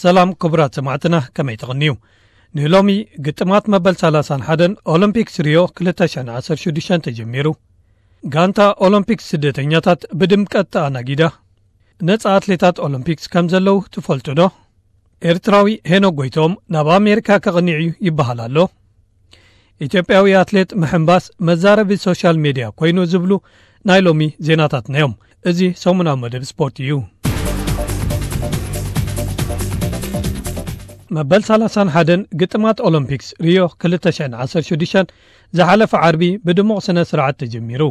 ሰላም ክቡራት ሰማዕትና፣ ከመይ ተቕንዩ? ንሎሚ ግጥማት መበል ሰላሳን ሓደን ኦሎምፒክስ ሪዮ ክልተ ሽሕን ዓሰርተ ሽዱሽተን ተጀሚሩ። ጋንታ ኦሎምፒክስ ስደተኛታት ብድምቀት ተኣናጊዳ። ነጻ ኣትሌታት ኦሎምፒክስ ከም ዘለዉ ትፈልጡ ዶ? ኤርትራዊ ሄኖክ ጎይቶም ናብ ኣሜሪካ ከቕኒዕ እዩ ይበሃል ኣሎ። ኢትዮጵያዊ ኣትሌት ምሕንባስ መዛረቢ ሶሻል ሜድያ ኮይኑ ዝብሉ ናይ ሎሚ ዜናታትና እዮም። እዚ ሰሙናዊ መደብ ስፖርት እዩ። መበል ሰላሳን ሓደን ግጥማት ኦሎምፒክስ ሪዮ ክልተ ሽሕን ዓሰርተ ሽዱሽተን ዝሓለፈ ዓርቢ ብድሙቕ ስነ ስርዓት ተጀሚሩ።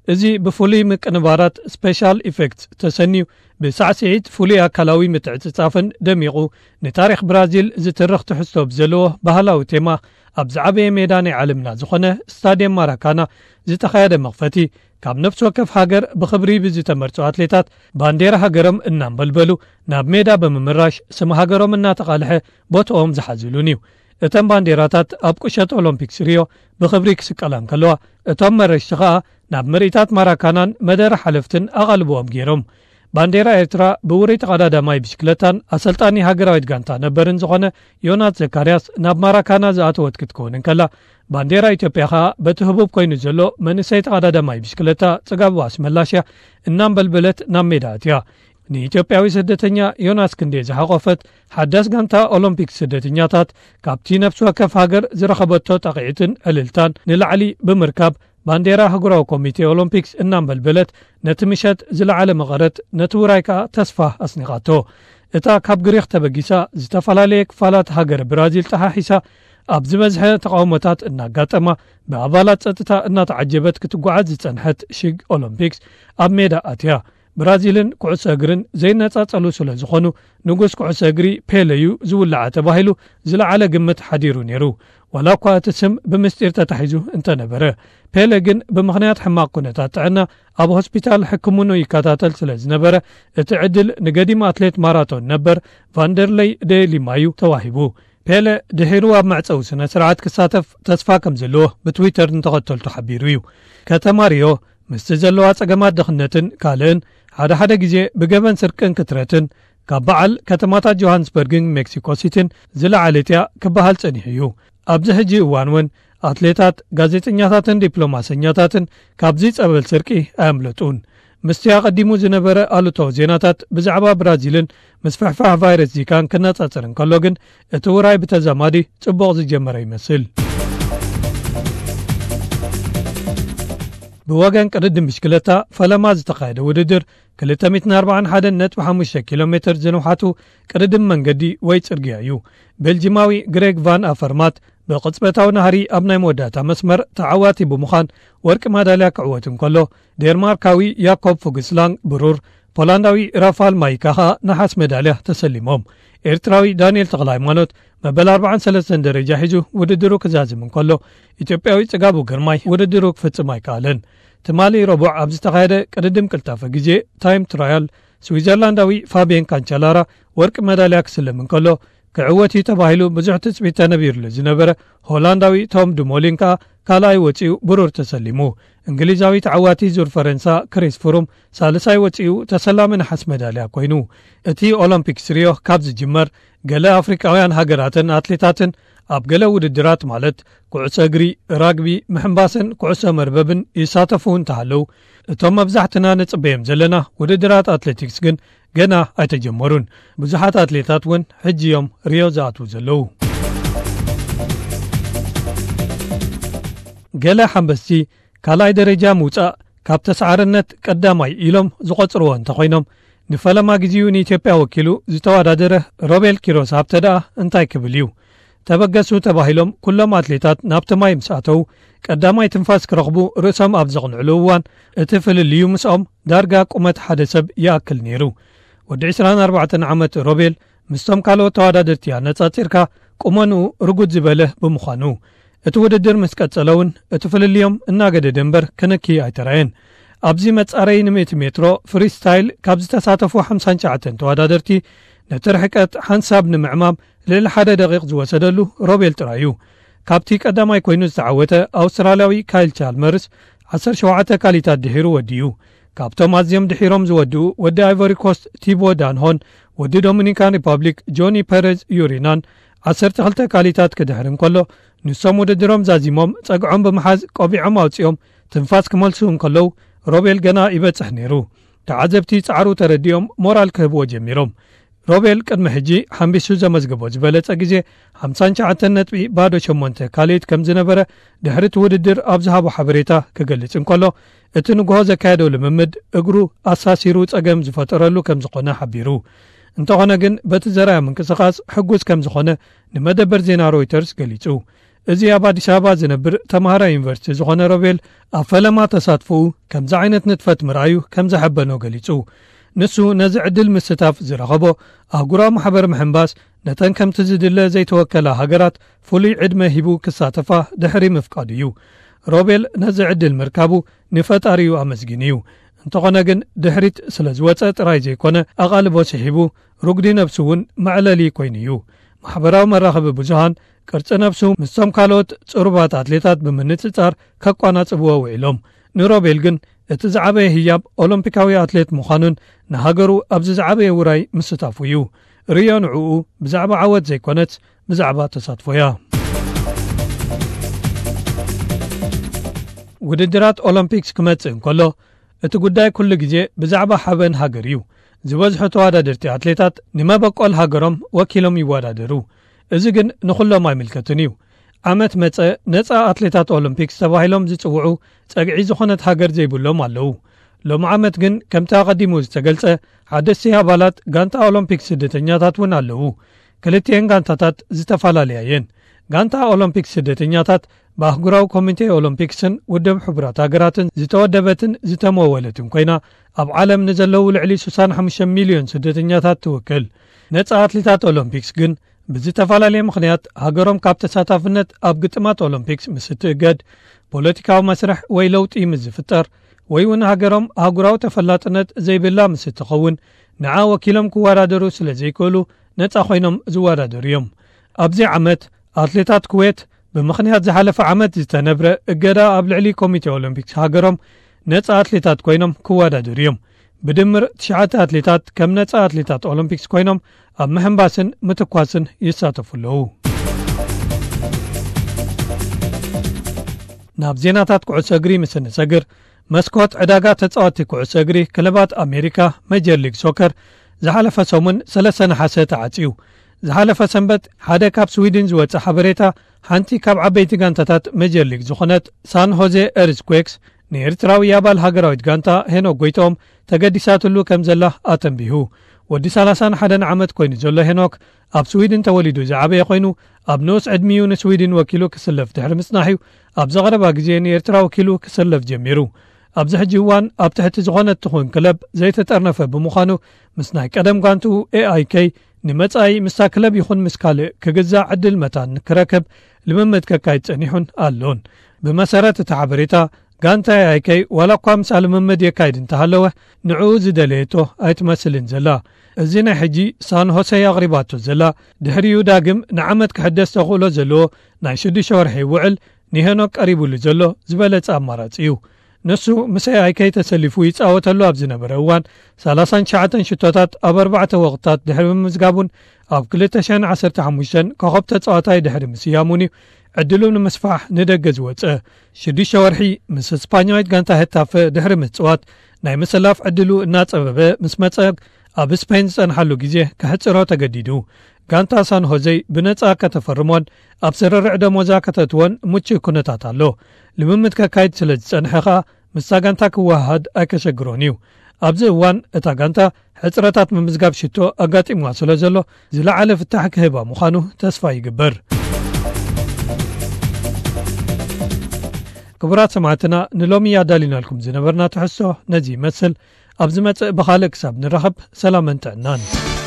እዚ ብፍሉይ ምቅንባራት ስፔሻል ኢፌክትስ ተሰንዩ ብሳዕስዒት ፍሉይ ኣካላዊ ምትዕጽጻፍን ደሚቑ፣ ንታሪኽ ብራዚል ዝትርኽ ትሕዝቶ ብዘለዎ ባህላዊ ቴማ ኣብ ዝዓበየ ሜዳ ናይ ዓለምና ዝኾነ ስታድየም ማራካና ዝተኻየደ መኽፈቲ፣ ካብ ነፍሲ ወከፍ ሃገር ብኽብሪ ብዝተመርጹ ኣትሌታት ባንዴራ ሃገሮም እናንበልበሉ ናብ ሜዳ ብምምራሽ ስም ሃገሮም እናተቓልሐ ቦትኦም ዝሓዝሉን እዩ። እተን ባንዴራታት ኣብ ቁሸት ኦሎምፒክስ ሪዮ ብኽብሪ ክስቀላ እንከለዋ፣ እቶም መረሽቲ ኸኣ ናብ ምርኢታት ማራካናን መደረ ሓለፍትን ኣቓልቦኦም ገይሮም። ባንዴራ ኤርትራ ብውሩይ ተቐዳዳማይ ብሽክለታን ኣሰልጣኒ ሃገራዊት ጋንታ ነበርን ዝኾነ ዮናስ ዘካርያስ ናብ ማራካና ዝኣተወት ክትከውን እንከላ፣ ባንዴራ ኢትዮጵያ ኸኣ በቲ ህቡብ ኮይኑ ዘሎ መንእሰይ ተቐዳዳማይ ብሽክለታ ጽጋቡ ኣስመላሽያ እናንበልበለት ናብ ሜዳ ኣትያ። ንኢትዮጵያዊ ስደተኛ ዮናስ ክንዴ ዝሓቖፈት ሓዳስ ጋንታ ኦሎምፒክ ስደተኛታት፣ ካብቲ ነፍሲ ወከፍ ሃገር ዝረኸበቶ ጣቕዒትን ዕልልታን ንላዕሊ ብምርካብ፣ ባንዴራ ኣህጉራዊ ኮሚቴ ኦሎምፒክስ እናንበልበለት፣ ነቲ ምሸት ዝለዓለ መቐረት፣ ነቲ ውራይ ከኣ ተስፋ ኣስኒቓቶ። እታ ካብ ግሪኽ ተበጊሳ ዝተፈላለየ ክፋላት ሃገረ ብራዚል ጠሓሒሳ ኣብ ዝበዝሐ ተቓውሞታት እናጋጠማ፣ ብኣባላት ጸጥታ እናተዓጀበት ክትጓዓዝ ዝጸንሐት ሽግ ኦሎምፒክስ ኣብ ሜዳ ኣትያ። ብራዚልን ኩዕሶ እግርን ዘይነጻጸሉ ስለ ዝኾኑ፣ ንጉስ ኩዕሶ እግሪ ፔለ እዩ ዝውልዓ ተባሂሉ ዝለዓለ ግምት ሓዲሩ ነይሩ። ዋላ እኳ እቲ ስም ብምስጢር ተታሒዙ እንተነበረ፣ ፔለ ግን ብምኽንያት ሕማቕ ኩነታት ጥዕና ኣብ ሆስፒታል ሕክምኑ ይከታተል ስለ ዝነበረ፣ እቲ ዕድል ንገዲም ኣትሌት ማራቶን ነበር ቫንደርለይ ደ ሊማ እዩ ተዋሂቡ። ፔለ ድሒሩ ኣብ መዕጸዊ ስነ ስርዓት ክሳተፍ ተስፋ ከም ዘለዎ ብትዊተር ንተኸተልቱ ሓቢሩ እዩ። ከተማ ሪዮ ምስቲ ዘለዋ ጸገማት ድኽነትን ካልእን፣ ሓደ ሓደ ግዜ ብገበን ስርቅን ክትረትን፣ ካብ በዓል ከተማታት ጆሃንስበርግን ሜክሲኮ ሲቲን ዝለዓለት እያ ክበሃል ጸኒሑ እዩ። ኣብዚ ሕጂ እዋን እውን ኣትሌታት፣ ጋዜጠኛታትን ዲፕሎማሰኛታትን ካብዚ ጸበል ስርቂ ኣየምለጡን። ምስቲ ኣቐዲሙ ዝነበረ ኣሉታዊ ዜናታት ብዛዕባ ብራዚልን ምስፍሕፋሕ ቫይረስ ዚካን ክነጻጸር እንከሎ ግን፣ እቲ ውራይ ብተዛማዲ ጽቡቕ ዝጀመረ ይመስል። ብወገን ቅድድም ብሽክለታ ፈለማ ዝተኻየደ ውድድር፣ ክልተ ሚእትን ኣርባዓን ሓደን ነጥቢ ሓሙሽተ ኪሎ ሜትር ዝንውሓቱ ቅድድም መንገዲ ወይ ጽርግያ እዩ። ቤልጂማዊ ግሬግ ቫን ኣፈርማት ብቕጽበታዊ ናህሪ ኣብ ናይ መወዳእታ መስመር ተዓዋቲ ብምዃን ወርቂ ማዳልያ ክዕወት እንከሎ፣ ዴንማርካዊ ያኮብ ፉግስላንግ ብሩር፣ ፖላንዳዊ ራፋል ማይካ ኸኣ ነሓስ ሜዳልያ ተሰሊሞም። ኤርትራዊ ዳንኤል ተኽለ ሃይማኖት መበል ኣርባዓን ሰለስተን ደረጃ ሒዙ ውድድሩ ክዛዝም እንከሎ፣ ኢትዮጵያዊ ጽጋቡ ግርማይ ውድድሩ ክፍጽም ኣይከኣለን። ትማሊ ረቡዕ ኣብ ዝተኻየደ ቅድድም ቅልጣፈ ግዜ ታይም ትራያል፣ ስዊዘርላንዳዊ ፋብየን ካንቻላራ ወርቂ መዳልያ ክስለም እንከሎ፣ ክዕወት እዩ ተባሂሉ ብዙሕ ትጽቢት ተነቢሩሉ ዝነበረ ሆላንዳዊ ቶም ዱሞሊን ከኣ ካልኣይ ወጺኡ ብሩር ተሰሊሙ። እንግሊዛዊ ተዓዋቲ ዙር ፈረንሳ ክሪስ ፍሩም ሳልሳይ ወጺኡ ተሰላሚ ነሓስ መዳልያ ኮይኑ። እቲ ኦሎምፒክስ ሪዮ ካብ ዝጅመር፣ ገለ ኣፍሪቃውያን ሃገራትን ኣትሌታትን ኣብ ገለ ውድድራት ማለት ኩዕሶ እግሪ፣ ራግቢ፣ ምሕንባስን ኩዕሶ መርበብን ይሳተፉ እንተሃለዉ፣ እቶም መብዛሕትና ንጽበዮም ዘለና ውድድራት ኣትሌቲክስ ግን ገና ኣይተጀመሩን። ብዙሓት ኣትሌታት እውን ሕጂ እዮም ሪዮ ዝኣትዉ ዘለዉ። ገለ ሓንበስቲ ካልኣይ ደረጃ ምውጻእ ካብ ተስዓርነት ቀዳማይ ኢሎም ዝቖጽርዎ እንተኾይኖም፣ ንፈለማ ግዜኡ ንኢትዮጵያ ወኪሉ ዝተወዳደረ ሮቤል ኪሮስ ሃብተ ደኣ እንታይ ክብል እዩ? ተበገሱ ተባሂሎም ኩሎም ኣትሌታት ናብቲ ማይ ምስ ኣተዉ፣ ቀዳማይ ትንፋስ ክረኽቡ ርእሶም ኣብ ዘቕንዕሉ እዋን፣ እቲ ፍልልዩ ምስኦም ዳርጋ ቁመት ሓደ ሰብ ይኣክል ነይሩ። ወዲ ዕስራን ኣርባዕተን ዓመት ሮቤል ምስቶም ካልኦት ተወዳደርቲ ኣነጻጺርካ ቁመንኡ ርጉድ ዝበለ ብምዃኑ፣ እቲ ውድድር ምስ ቀጸለ እውን እቲ ፍልልዮም እናገደደ እምበር ክንኪ ኣይተራእየን። ኣብዚ መጻረዪ ንምእቲ ሜትሮ ፍሪስታይል ካብ ዝተሳተፉ ሓምሳን ትሽዓተን ተወዳደርቲ ነቲ ርሕቀት ሓንሳብ ንምዕማም ልዕሊ ሓደ ደቂቕ ዝወሰደሉ ሮቤል ጥራይ እዩ። ካብቲ ቀዳማይ ኮይኑ ዝተዓወተ ኣውስትራልያዊ ካይል ቻልመርስ ዓሰርተ ሸውዓተ ካሊታት ድሒሩ ወዲኡ። ካብቶም ኣዝዮም ድሒሮም ዝወድኡ ወዲ ኣይቮሪ ኮስት ቲቦ ዳንሆን ወዲ ዶሚኒካን ሪፓብሊክ ጆኒ ፐረዝ ዩሪናን ዓሰርተ ክልተ ካሊታት ክድሕር እንከሎ፣ ንሶም ውድድሮም ዛዚሞም ጸግዖም ብምሓዝ ቆቢዖም ኣውጺኦም ትንፋስ ክመልሱ እንከለዉ፣ ሮቤል ገና ይበጽሕ ነይሩ። ተዓዘብቲ ጻዕሩ ተረዲኦም ሞራል ክህብዎ ጀሚሮም። ሮቤል ቅድሚ ሕጂ ሓምቢሱ ዘመዝገቦ ዝበለጸ ግዜ ሓምሳን ትሽዓተን ነጥቢ ባዶ ሸሞንተ ካልኢት ከም ዝነበረ ድሕሪ እቲ ውድድር ኣብ ዝሃቦ ሓበሬታ ክገልጽ እንከሎ፣ እቲ ንግሆ ዘካየዶ ልምምድ እግሩ ኣሳሲሩ ጸገም ዝፈጠረሉ ከም ዝኾነ ሓቢሩ። እንተኾነ ግን በቲ ዘርኣዮ ምንቅስቓስ ሕጉስ ከም ዝኾነ ንመደበር ዜና ሮይተርስ ገሊጹ። እዚ ኣብ ኣዲስ ኣበባ ዝነብር ተምሃራይ ዩኒቨርሲቲ ዝኾነ ሮቤል ኣብ ፈለማ ተሳትፎኡ ከምዚ ዓይነት ንጥፈት ምርኣዩ ከም ዘሐበኖ ገሊጹ። ንሱ ነዚ ዕድል ምስታፍ ዝረኸቦ ኣህጉራዊ ማሕበር ምሕንባስ ነተን ከምቲ ዝድለ ዘይተወከላ ሃገራት ፍሉይ ዕድመ ሂቡ ክሳተፋ ድሕሪ ምፍቃዱ እዩ። ሮቤል ነዚ ዕድል ምርካቡ ንፈጣሪኡ ኣመስጊኑ እዩ። እንተኾነ ግን ድሕሪት ስለ ዝወጸ ጥራይ ዘይኮነ ኣቓልቦ ስሒቡ ርጉዲ ነብሱ እውን መዕለሊ ኮይኑ እዩ። ማሕበራዊ መራኸቢ ብዙሃን ቅርጺ ነብሱ ምስቶም ካልኦት ጽሩባት ኣትሌታት ብምንጽጻር ከቋናጽብዎ ውዒሎም። ንሮቤል ግን እቲ ዝዓበየ ህያብ ኦሎምፒካዊ ኣትሌት ምዃኑን ንሃገሩ ኣብዚ ዝዓበየ ውራይ ምስታፉ እዩ። ርዮ ንዕኡ ብዛዕባ ዓወት ዘይኮነስ ብዛዕባ ተሳትፎ እያ። ውድድራት ኦሎምፒክስ ክመጽእ እንከሎ እቲ ጉዳይ ኩሉ ግዜ ብዛዕባ ሓበን ሃገር እዩ። ዝበዝሑ ተወዳደርቲ ኣትሌታት ንመበቆል ሃገሮም ወኪሎም ይወዳደሩ። እዚ ግን ንኹሎም ኣይምልከትን እዩ። ዓመት መጸ ነጻ ኣትሌታት ኦሎምፒክስ ተባሂሎም ዝጽውዑ ጸግዒ ዝኾነት ሃገር ዘይብሎም ኣለዉ። ሎሚ ዓመት ግን ከምቲ ኣቐዲሙ ዝተገልጸ ሓደስቲ ኣባላት ጋንታ ኦሎምፒክስ ስደተኛታት እውን ኣለዉ። ክልቲኤን ጋንታታት ዝተፈላለያ እየን። ጋንታ ኦሎምፒክስ ስደተኛታት ብኣህጉራዊ ኮሚቴ ኦሎምፒክስን ውድብ ሕቡራት ሃገራትን ዝተወደበትን ዝተመወለትን ኮይና፣ ኣብ ዓለም ንዘለዉ ልዕሊ ስሳን ሓሙሽተ ሚልዮን ስደተኛታት ትውክል። ነጻ ኣትሌታት ኦሎምፒክስ ግን ብዝተፈላለየ ምኽንያት ሃገሮም ካብ ተሳታፍነት ኣብ ግጥማት ኦሎምፒክስ ምስ እትእገድ፣ ፖለቲካዊ መስርሕ ወይ ለውጢ ምስ ዝፍጠር፣ ወይ እውን ሃገሮም ኣህጉራዊ ተፈላጥነት ዘይብላ ምስ እትኸውን፣ ንዓ ወኪሎም ክወዳደሩ ስለ ዘይክእሉ ነጻ ኮይኖም ዝወዳደሩ እዮም። ኣብዚ ዓመት ኣትሌታት ኩዌት ብምኽንያት ዝሓለፈ ዓመት ዝተነብረ እገዳ ኣብ ልዕሊ ኮሚቴ ኦሎምፒክስ ሃገሮም ነጻ ኣትሌታት ኮይኖም ክወዳደሩ እዮም። ብድምር ትሽዓተ ኣትሌታት ከም ነጻ ኣትሌታት ኦሎምፒክስ ኮይኖም ኣብ ምሕንባስን ምትኳስን ይሳተፉ ኣለዉ። ናብ ዜናታት ኩዕሶ እግሪ ምስ እንሰግር፣ መስኮት ዕዳጋ ተጻወትቲ ኩዕሶ እግሪ ክለባት ኣሜሪካ፣ ሜጀር ሊግ ሶከር፣ ዝሓለፈ ሰሙን ሰለስተ ነሓሰ ተዓጽዩ። ዝሓለፈ ሰንበት ሓደ ካብ ስዊድን ዝወጸ ሓበሬታ፣ ሓንቲ ካብ ዓበይቲ ጋንታታት ሜጀር ሊግ ዝኾነት ሳን ሆዜ ኤርዝኩዌክስ ንኤርትራዊ ኣባል ሃገራዊት ጋንታ ሄኖክ ጎይትኦም ተገዲሳትሉ ከም ዘላ ኣተንቢሁ። ወዲ ሰላሳን ሓደን ዓመት ኮይኑ ዘሎ ሄኖክ ኣብ ስዊድን ተወሊዱ ዝዓበየ ኮይኑ፣ ኣብ ንኡስ ዕድሚኡ ንስዊድን ወኪሉ ክስለፍ ድሕሪ ምጽናሕ'ዩ ኣብዚ ቀረባ ግዜ ንኤርትራ ወኪሉ ክሰለፍ ጀሚሩ። ኣብዚ ሕጂ እዋን ኣብ ትሕቲ ዝኾነት ትኹን ክለብ ዘይተጠርነፈ ብምዃኑ፣ ምስ ናይ ቀደም ጋንትኡ ኤኣይኬ ንመጻኢ ምስታ ክለብ ይኹን ምስ ካልእ ክግዛእ ዕድል መታን ክረክብ ልምምድ ከካይድ ጸኒሑን ኣሎን። ብመሰረት እቲ ሓበሬታ፣ ጋንታ ኤኣይኬ ዋላ እኳ ምስኣ ልምምድ የካይድ እንተሃለወ፣ ንዕኡ ዝደለየቶ ኣይትመስልን ዘላ። እዚ ናይ ሕጂ ሳን ሆሴ ኣቕሪባቶ ዘላ፣ ድሕሪኡ ዳግም ንዓመት ክሕደስ ተኽእሎ ዘለዎ ናይ ሽዱሽተ ወርሒ ውዕል ንሄኖክ ቀሪቡሉ ዘሎ ዝበለጸ ኣማራጺ እዩ። ንሱ ምስ ኤኣይኬ ተሰሊፉ ይጻወተሉ ኣብ ዝነበረ እዋን፣ ሰላሳን ትሽዓተን ሽቶታት ኣብ ኣርባዕተ ወቕታት ድሕሪ ምምዝጋቡን ኣብ ክልተ ሽሕን ዓሰርተ ሓሙሽተን ኮኸብ ተጻዋታይ ድሕሪ ምስያሙን እዩ ዕድሉ ንምስፋሕ ንደገ ዝወጸ። ሽዱሽተ ወርሒ ምስ ስፓኛዊት ጋንታ ሄታፈ ድሕሪ ምጽዋት፣ ናይ ምስላፍ ዕድሉ እናጸበበ ምስ መጸ፣ ኣብ ስፔን ዝጸንሓሉ ግዜ ከሕጽሮ ተገዲዱ። ጋንታ ሳን ሆዜ ብነጻ ከተፈርሞን ኣብ ስርርዕ ደሞዛ ከተእትዎን ምቹእ ኩነታት ኣሎ። ልምምድ ከካይድ ስለ ዝጸንሐ ከኣ ምስታ ጋንታ ክወሃሃድ ኣይከሸግሮን እዩ። ኣብዚ እዋን እታ ጋንታ ሕጽረታት ምምዝጋብ ሽቶ ኣጋጢምዋ ስለ ዘሎ፣ ዝለዓለ ፍታሕ ክህባ ምዃኑ ተስፋ ይግበር። ክቡራት ሰማዕትና፣ ንሎሚ ኣዳሊናልኩም ዝነበርና ትሕዝቶ ነዚ ይመስል። ኣብ ዝመጽእ ብኻልእ ክሳብ ንራኸብ፣ ሰላምን ጥዕናን።